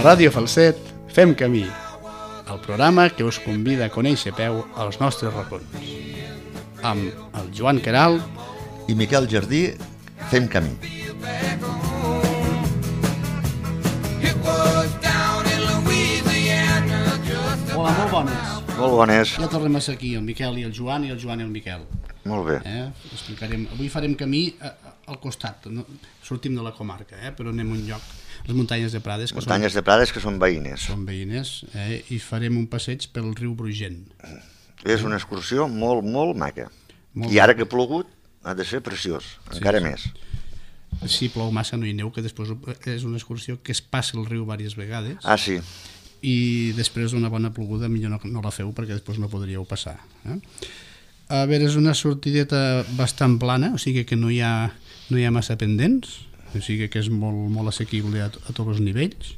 Ràdio Falset fem camí, el programa que us convida a conèixer a peu els nostres racons. Amb el Joan Queralt i Miquel Jardí fem camí. Hola, molt bones. Molt bones. Ja tornem a ser aquí, el Miquel i el Joan i el Miquel. Molt bé. Avui farem camí al costat, no? Sortim de la comarca, però anem a un lloc, les muntanyes de Prades. Muntanyes de Prades que són veïnes. Són veïnes, i farem un passeig pel riu Brugent. És una excursió molt, molt maca. I ara que ha plogut ha de ser preciós, encara més. Si plou massa no hi aneu, que després és una excursió que es passa el riu diverses vegades. Ah, sí. I després d'una bona ploguda millor no la feu perquè després no podríeu passar. A veure, és una sortideta bastant plana, o sigui que no hi ha massa pendents, o sigui que és molt, molt assequible a tots els nivells.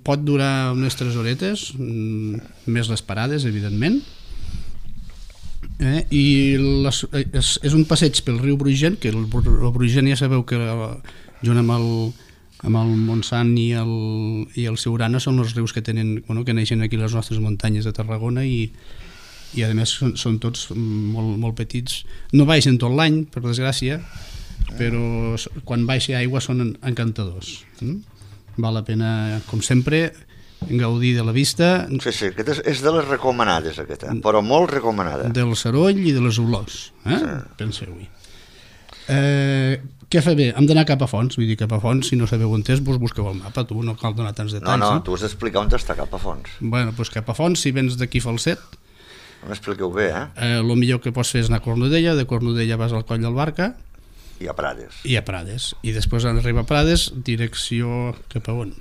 Pot durar unes 3 horetes, més les parades, evidentment. I és un passeig pel riu Brugent, que el Brugent ja sabeu que junt amb el Montsant i el Siurana són els rius que neixen aquí les nostres muntanyes de Tarragona i a més són tots molt, molt petits. No baixen tot l'any, per desgràcia, però quan baixa aigua són encantadors. Val la pena, com sempre, gaudir de la vista. Sí, aquesta és de les recomanades, aquesta, però molt recomanada. Del Saroll i de les Olors, penseu-hi. Què fa bé? Hem d'anar cap a fons, vull dir, cap a fons, si no sabeu on és, vos busqueu el mapa, tu no cal donar tants detalls. No, tu has d'explicar on està cap a fons. Bueno, doncs cap a fons, si vens d'aquí Falset, m'expliqueu bé, el millor que pots fer és anar a Cornudella, de Cornudella vas al Coll del Barca, i a Prades. I després arriba a Prades, direcció cap a on?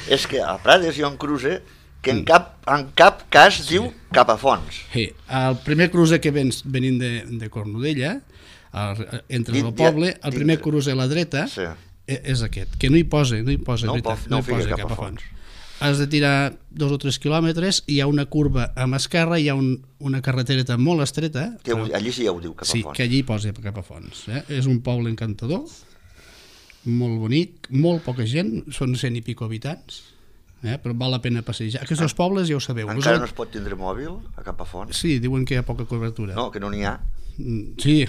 És que a Prades hi ha un cruce que en cap cas diu cap a fons. Sí, el primer cruce que venint de Cornudella, entre el poble, el primer cruce a la dreta és aquest, que no hi posa cap a fons. Has de tirar 2 o 3 quilòmetres, hi ha una curva a mà esquerra, hi ha una carretereta molt estreta. Allí sí ja ho diu cap a fons. Sí, que allí posa cap a fons. És un poble encantador, molt bonic, molt poca gent, són 100 i pico habitants, però val la pena passejar. Aquests pobles ja ho sabeu. Encara no es pot tindre mòbil a cap a fons? Sí, diuen que hi ha poca cobertura. No, que no n'hi ha. Sí,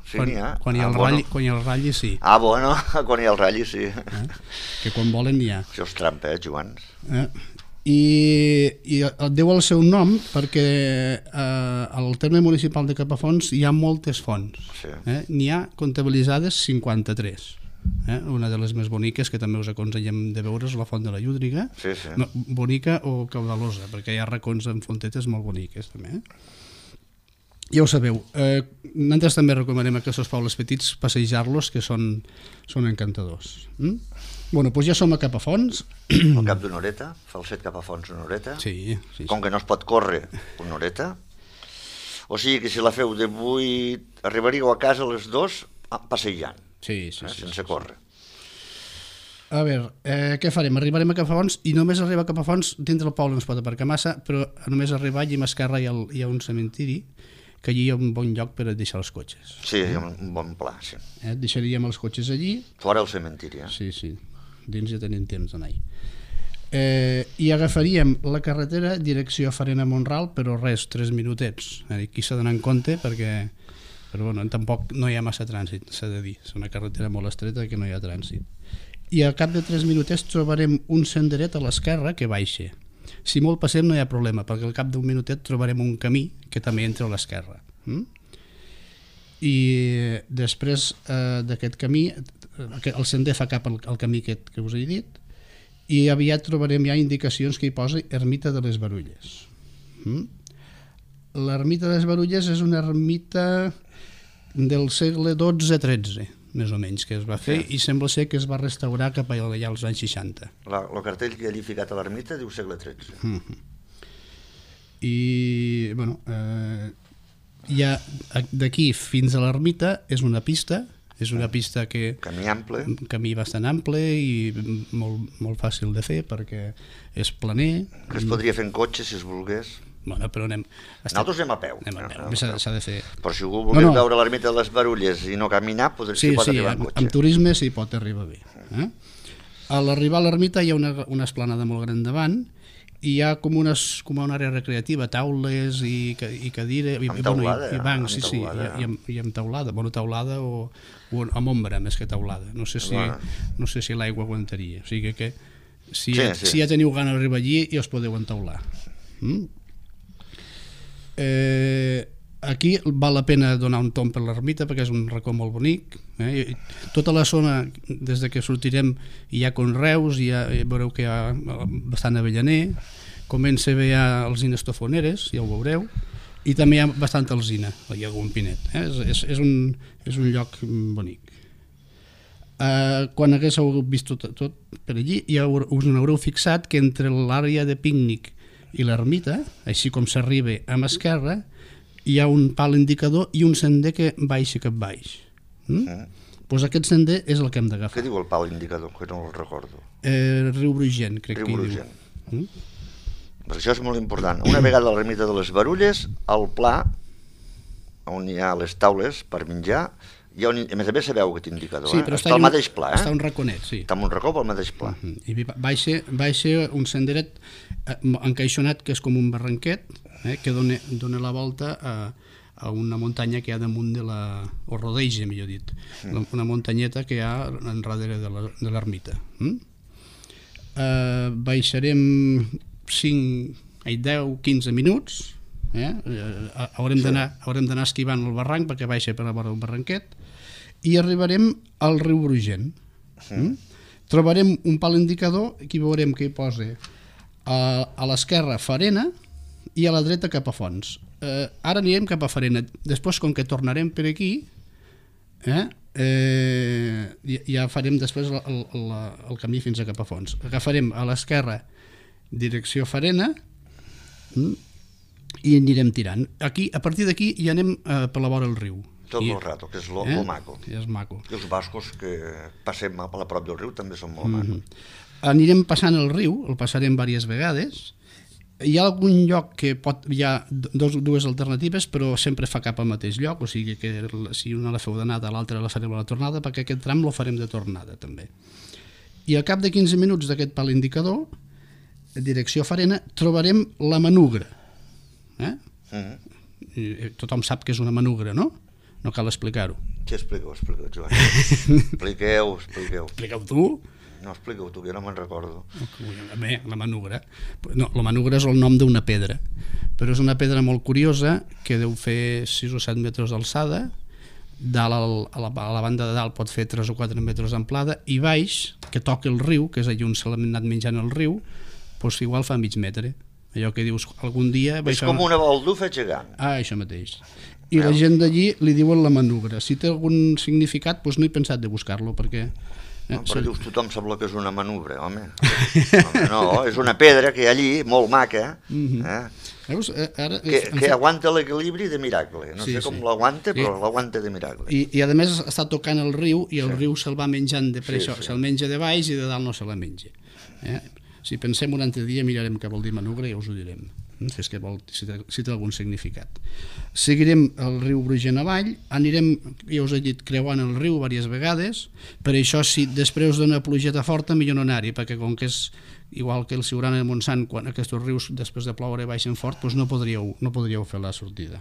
quan hi ha el ratlli sí. Ah, bueno, quan hi ha el ratlli sí. Que quan volen n'hi ha. Això és trampa, Joan. I deu el seu nom perquè al terme municipal de Capafonts hi ha moltes fonts. N'hi ha comptabilitzades 53. Una de les més boniques, que també us aconsellem de veure, és la Font de la Llúdriga. Bonica o caudalosa, perquè hi ha racons amb fontetes molt boniques també. Ja ho sabeu, nosaltres també recomanem a aquests pobles petits passejar-los, que són encantadors. Bueno, doncs ja som a Capafons. Al cap d'una horeta, Falset cap a Fons una horeta. Sí. Com que no es pot córrer una horeta, o sigui que si la feu de 8, arribaríeu a casa a les 2 passejant, sense córrer. A veure, què farem? Arribarem a Capafons i només arribar a Capafons, dintre del poble no es pot aparcar massa, però només arribar allí a esquerra hi ha un cementiri, que allí hi ha un bon lloc per deixar els cotxes. Sí, hi ha un bon pla, sí. Deixaríem els cotxes allí. Fora el cementiri, Sí, dins ja tenim temps d'anar-hi. I agafaríem la carretera direcció Farena-Montral, però res, 3 minutets. Aquí s'ha d'anar en compte perquè tampoc no hi ha massa trànsit, s'ha de dir. És una carretera molt estreta que no hi ha trànsit. I al cap de 3 minutets trobarem un senderet a l'esquerra que baixa. Si molt passem no hi ha problema, perquè al cap d'un minutet trobarem un camí que també entra a l'esquerra. I després d'aquest camí, el sender fa cap al camí que us he dit, i aviat trobarem ja indicacions que hi posa Ermita de les Barulles. L'Ermita de les Barulles és una ermita del segle XII-XIII, més o menys, que es va fer, i sembla ser que es va restaurar cap allà als anys 60. El cartell que hi ha ficat a l'ermita diu segle XIII. I, bueno, d'aquí fins a l'ermita és una pista que... Camí ample. Un camí bastant ample i molt fàcil de fer perquè és planer. Que es podria fer en cotxe si es volgués. Bueno, però nosaltres anem a peu. S'ha de fer... Però si algú voleu veure l'ermita de les Barulles i no caminar, s'hi pot arribar en cotxe. Sí, amb turisme s'hi pot arribar bé. A l'arribar a l'ermita hi ha una esplanada molt gran davant i hi ha com una àrea recreativa, taules i cadires i bancs, i amb teulada, teulada o amb ombra més que teulada. No sé si l'aigua aguantaria, o sigui que si ja teniu gana d'arribar allí ja us podeu entaular. Aquí val la pena donar un tomb per l'ermita perquè és un racó molt bonic. Tota la zona, des que sortirem, hi ha conreus, veureu que hi ha bastant avellaner, comença a haver alzines tofoneres, ja ho veureu, i també hi ha bastant alzina, hi ha algun pinet. És un lloc bonic. Quan haguéssiu vist tot per allí, us n'haureu fixat que entre l'àrea de pícnic i l'ermita, així com s'arriba a mà esquerra, hi ha un pal indicador i un sender que baixa cap baix. Doncs aquest sender és el que hem d'agafar. Què diu el pal indicador? Que no el recordo. Riu Brugent, crec que hi diu. Però això és molt important. Una vegada a l'ermita de les Barulles, al pla, on hi ha les taules per menjar, a més a més sabeu aquest indicador, està al mateix pla. Està un raconet, sí. Està en un racó pel mateix pla. I baixa un senderet encaixonat que és com un barranquet, que dona la volta a una muntanya que hi ha damunt o rodeja, millor dit, una muntanyeta que hi ha enrere de l'ermita. Baixarem 10-15 minuts, haurem d'anar esquivant el barranc perquè baixa per la vora del barranquet i arribarem al riu Brugent. Trobarem un pal indicador, aquí veurem que hi posa a l'esquerra Farena i a la dreta cap a Fons. Ara anirem cap a Farena, després com que tornarem per aquí ja farem després el camí fins a cap a Fons. Agafarem a l'esquerra direcció Farena i anirem tirant. A partir d'aquí ja anem per la vora del riu. Tot el rato, que és lo maco. És maco. I els boscos que passem a la prop del riu també són molt macos. Anirem passant el riu, el passarem diverses vegades. Hi ha algun lloc que hi ha dues alternatives, però sempre fa cap al mateix lloc, o sigui que si una la feu d'anada, l'altra la farem a la tornada, perquè aquest tram lo farem de tornada també. I al cap de 15 minuts d'aquest pal indicador, direcció Farena, trobarem la manugra. Tothom sap que és una manugra, no? No cal explicar-ho. Què expliqueu, Joan? Expliqueu. Expliqueu tu? No, expliqueu tu, que jo no me'n recordo. Bé, la manugra. No, la manugra és el nom d'una pedra, però és una pedra molt curiosa que deu fer 6 o 7 metres d'alçada, a la banda de dalt pot fer 3 o 4 metres d'amplada, i baix, que toca el riu, que és allà on s'ha anat menjant el riu, doncs igual fa mig metre. Allò que dius algun dia... És com una baldufa gegant. Això mateix. I la gent d'allí li diuen la manugra. Si té algun significat, doncs no he pensat de buscar-lo, perquè... Però dius, tothom sap que és una manugra, home. No, és una pedra que hi ha allí, molt maca, que aguanta l'equilibri de miracle. No sé com l'aguanta, però l'aguanta de miracle. I a més està tocant el riu, i el riu se'l va menjant de pressa, se'l menja de baix i de dalt no se la menja. Si pensem un altre dia mirarem què vol dir manugra i ja us ho direm, si té algun significat. Seguirem el riu Brugent avall, anirem, ja us he dit, creuant el riu diverses vegades. Per això, si després d'una plugeta forta, millor no anar-hi, perquè com que és igual que el Siurana i el Montsant, quan aquests rius després de ploure baixen fort, doncs no podríeu fer la sortida.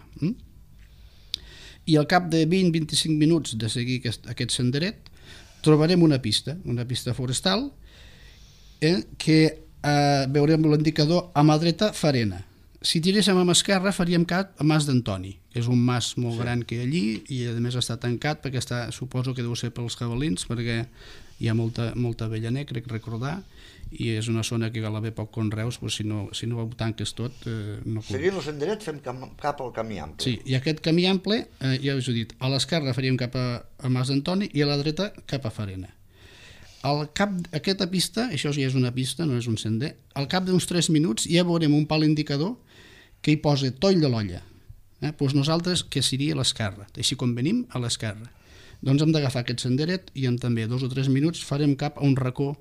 I al cap de 20-25 minuts de seguir aquest senderet, trobarem una pista forestal, que veurem l'indicador a mà dreta Farena. Si tiréssim a mà esquerra faríem cap a Mas d'Antoni, que és un mas molt gran que hi ha allí i a més està tancat perquè suposo que deu ser pels jabalins, perquè hi ha molta avellaner, crec recordar, i és una zona que cal haver poc conreus, però si no ho tanques tot... Seguint el senderet fem cap al camí ample. Sí, i aquest camí ample, ja us he dit, a l'esquerra faríem cap a Mas d'Antoni i a la dreta cap a Farena. Al cap d'aquesta pista, això ja és una pista, no és un sender, al cap d'uns 3 minuts ja veurem un pal indicador que hi posa Toll de l'Olla. Doncs nosaltres, que seria a l'esquerra, així com venim, a l'esquerra. Doncs hem d'agafar aquest senderet i en també 2 o 3 minuts farem cap a un racó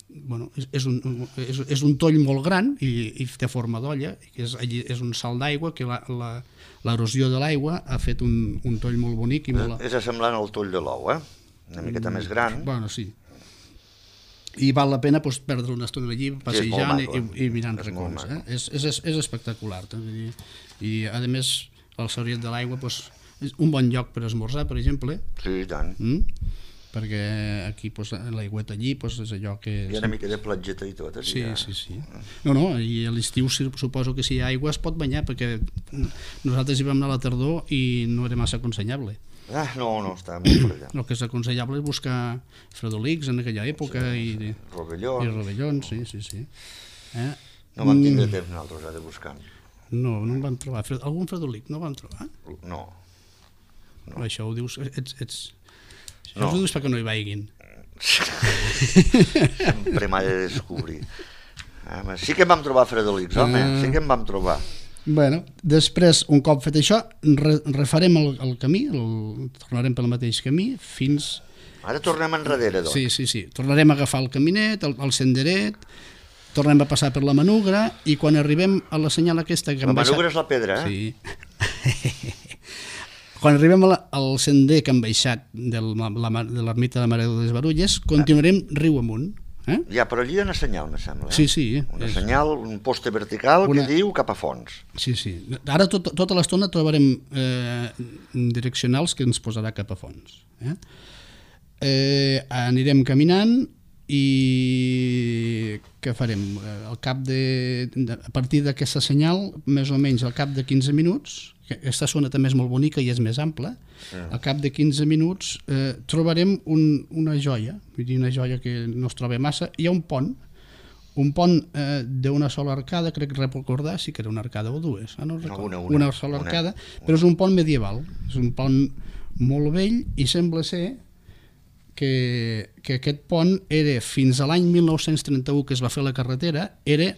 és un toll molt gran i té forma d'olla, és un salt d'aigua que l'erosió de l'aigua ha fet un toll molt bonic. És semblant al toll de l'ou, una miqueta més gran. Bueno, sí. I val la pena perdre una estona allí passejant i mirant racons. És espectacular. I a més el Sauriet de l'Aigua és un bon lloc per esmorzar, per exemple. Sí, i tant. Perquè aquí l'aigüeta allí és allò que... Hi ha una mica de platgeta i tot. Sí. No, i a l'estiu suposo que si hi ha aigua es pot banyar, perquè nosaltres hi vam anar a la tardor i no era massa aconsellable. No, està molt per allà. El que és aconsellable és buscar fredolics en aquella època i rovellons, sí. No vam tindre temps nosaltres de buscar. No en vam trobar. Algun fredolic no vam trobar? No. Això ho dius... Això ho dius perquè no hi vaiguin. Sempre m'ha de descobrir. Sí que en vam trobar fredolics, home, sí que en vam trobar. Bueno, després, un cop fet això, refarem el camí, tornarem pel mateix camí fins... Ara tornem enrere, doncs. Sí. Tornarem a agafar el caminet, el senderet, tornem a passar per la Manugra i quan arribem a la senyal aquesta... La Manugra és la pedra, Sí. Quan arribem al sender que hem baixat de l'ermita de la Mare de les Barulles, continuarem riu amunt. Ja, però allí hi ha una senyal, me sembla. Sí. Una senyal, un poste vertical que diu cap a fons. Sí. Ara tota l'estona trobarem direccionals que ens posarà cap a fons. Anirem caminant i què farem? A partir d'aquesta senyal, més o menys al cap de 15 minuts, aquesta zona també és molt bonica i és més ampla, al cap de 15 minuts trobarem una joia, vull dir una joia que no es troba massa. Hi ha un pont d'una sola arcada, crec recordar, sí que era una arcada o dues, no recordo, una sola arcada, però és un pont medieval, és un pont molt vell i sembla ser que aquest pont era fins a l'any 1931 que es va fer la carretera, era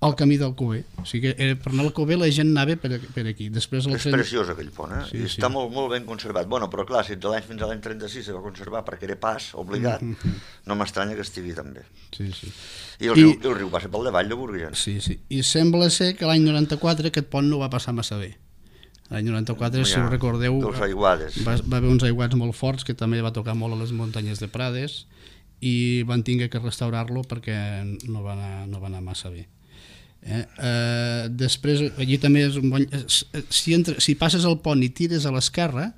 el camí del Cover. O sigui que per anar al Cover la gent anava per aquí. És preciós aquell pont, i està molt ben conservat. Bueno, però clar, si fins a l'any 36 se va conservar perquè era pas obligat, no m'estranya que estigui tan bé. Sí. I el riu passa pel davall de Burguillons. Sí. I sembla ser que l'any 94 aquest pont no va passar massa bé. L'any 94, si ho recordeu, va haver uns aiguats molt forts que també va tocar molt a les muntanyes de Prades i van haver que restaurar-lo perquè no va anar massa bé. Després, allí també és un bon... Si passes el pont i tires a l'esquerra,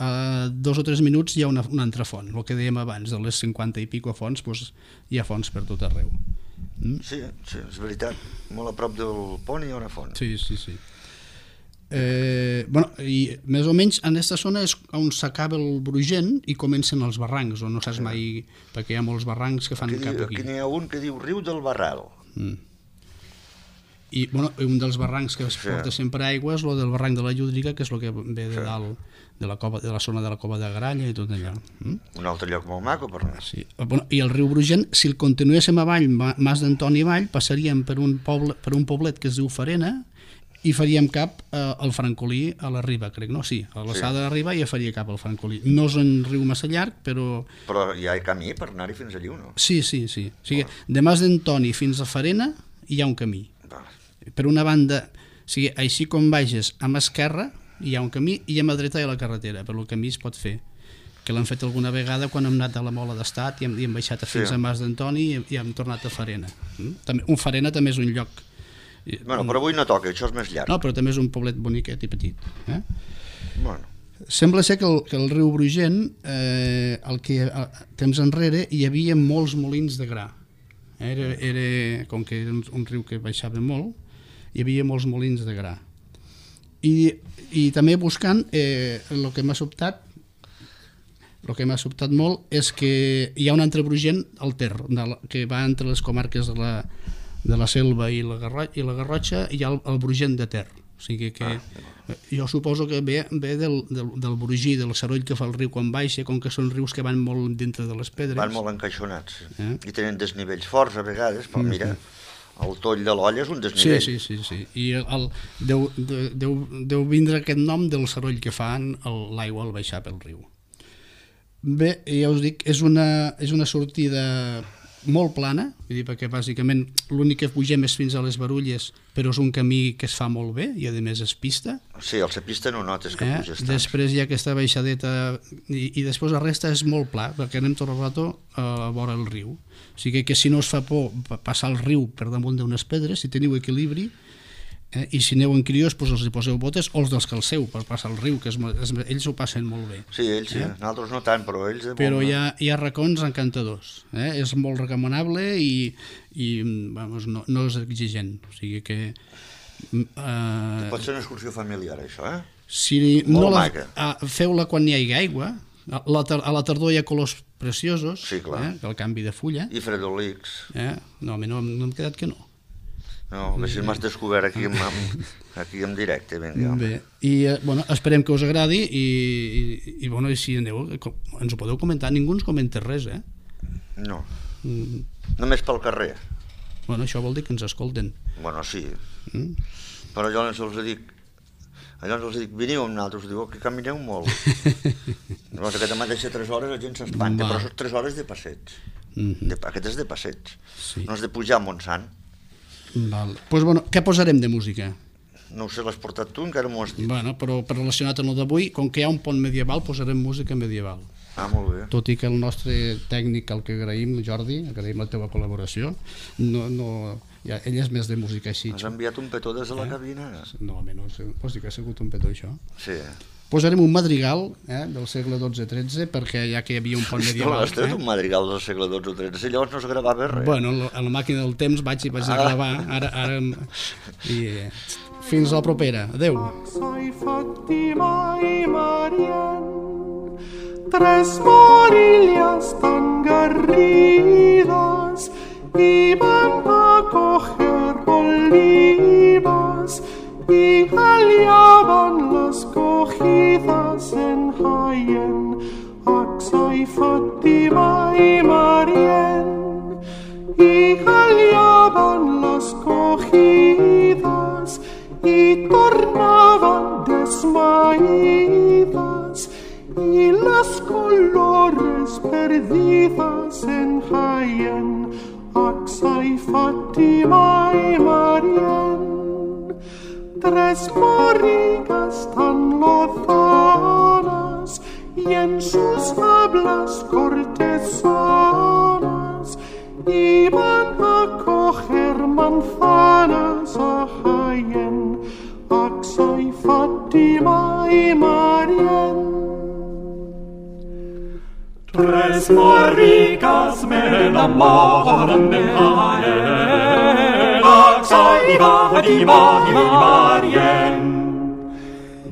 a 2 o 3 minuts hi ha una altra font, el que dèiem abans, de les 50 i pico fonts, hi ha fonts per tot arreu. Sí, és veritat, molt a prop del pont hi ha una font. Sí. I més o menys en aquesta zona és on s'acaba el Brugent i comencen els barrancs, o no saps mai, perquè hi ha molts barrancs que fan cap aquí. Aquí n'hi ha un que diu Riu del Barral. I un dels barrancs que es porta sempre aigua és el del barranc de la Llúdriga, que és el que ve de dalt de la zona de la Cova de Gralla i tot allò. Un altre lloc molt maco per anar. I el riu Brugent, si el continuéssim avall, Mas d'Antoni avall, passaríem per un poblet que es diu Farena i faríem cap al Francolí, a la riba, crec, no? Sí, a l'alçada de la riba ja faria cap al Francolí. No és un riu massa llarg, però... Però hi ha camí per anar-hi fins allí o no? Sí. O sigui, de Mas d'Antoni fins a Farena hi ha un camí. Per una banda, així com baixes a mà esquerra, hi ha un camí i a mà dreta hi ha la carretera, però el camí es pot fer. Que l'hem fet alguna vegada quan hem anat a la Mola d'Estat i hem baixat fins a Mas d'Antoni i hem tornat a Farena. Un Farena també és un lloc... Bueno, però avui no toca, això és més llarg. No, però també és un poblet boniquet i petit. Sembla ser que el riu Brugent, temps enrere, hi havia molts molins de gra. Com que era un riu que baixava molt, hi havia molts molins de gra. I també buscant, el que m'ha sobtat molt és que hi ha un altre Brugent, el Ter, que va entre les comarques de la Selva i la Garrotxa, hi ha el Brugent de Ter. O sigui que jo suposo que ve del Brugí, del saroll que fa el riu quan baixa, com que són rius que van molt dintre de les pedres. Van molt encaixonats, i tenen desnivells forts a vegades, però mira, el toll de l'olla és un desnivell. Sí. I deu vindre aquest nom del saroll que fan l'aigua al baixar pel riu. Bé, ja us dic, és una sortida molt plana, vull dir, perquè bàsicament l'únic que pugem és fins a les Barulles, però és un camí que es fa molt bé i a més és pista. Sí, al ser pista no notes que puges tant. Després hi ha aquesta baixadeta i després la resta és molt pla, perquè anem tot el rato a vora el riu. O sigui que si no us fa por passar el riu per damunt d'unes pedres, si teniu equilibri, i si aneu en crios els hi poseu botes o els descalceu per passar el riu, que ells ho passen molt bé. Sí, ells sí, nosaltres no tant, però ells... Però hi ha racons encantadors, és molt recomanable i vamos, no és exigent, o sigui que... Pot ser una excursió familiar, això, Si no feu-la quan hi hagi aigua, a la tardor hi ha colors preciosos, sí, el canvi de fulla. I fredolics. No, no hem quedat que no. No, a veure si m'has descobert aquí en directe. Bé, i esperem que us agradi i si aneu, ens ho podeu comentar. Ningú ens comenta res, No, només pel carrer. Això vol dir que ens escolten. Sí, però llavors els dic, veniu amb nosaltres, diu que camineu molt. Llavors aquesta mateixa 3 hores la gent s'espanta, però són 3 hores de passeig. Aquest és de passeig, no és de pujar a Montsant. Què posarem de música? No ho sé, l'has portat tu, encara m'ho has dit. Però relacionat amb el d'avui, com que hi ha un pont medieval, posarem música medieval. Molt bé. Tot i que el nostre tècnic, el que agraïm, Jordi, agraïm la teva col·laboració, ell és més de música així. Has enviat un petó des de la cabina? No, home, vols dir que ha sigut un petó, això? Sí. Posarem un madrigal del segle XII-XIII, perquè ja que hi havia un pont medieval... Has tret un madrigal del segle XII-XIII, llavors no es gravava res. A la màquina del temps vaig a gravar, ara... Fins la propera, adeu. Tres morillas tan garridas iban a coger olivas y hallaban las cogidas en Jaén, Axa y Fátima y Marién, y hallaban las cogidas y tornaban desmaídas y las colores perdidas en Jaén, Axa y Fátima y Marién. Tres morrigas tan lozanas y en sus hablas cortesanas iban a coger manzanas a Jaén, Axa y Fátima y Marién. Tres morrigas me enamoran de Jaén, Axa y Fátima y Marién.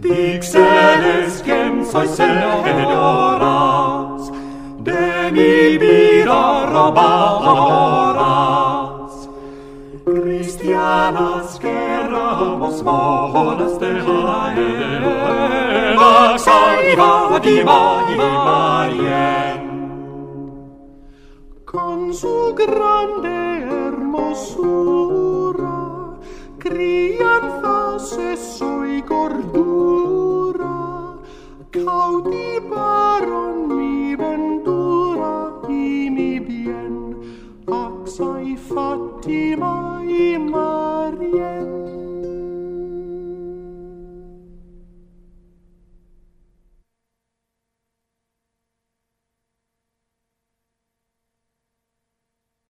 Díxeles quién sois señoras, de mi vida robadoras, cristianas que éramos moras de Jaén, Axa y Fátima y Marién. Con su grande hermosura, crianza, seso y gordura, cautivaron mi ventura y mi bien, Axa y Fátima y Marién.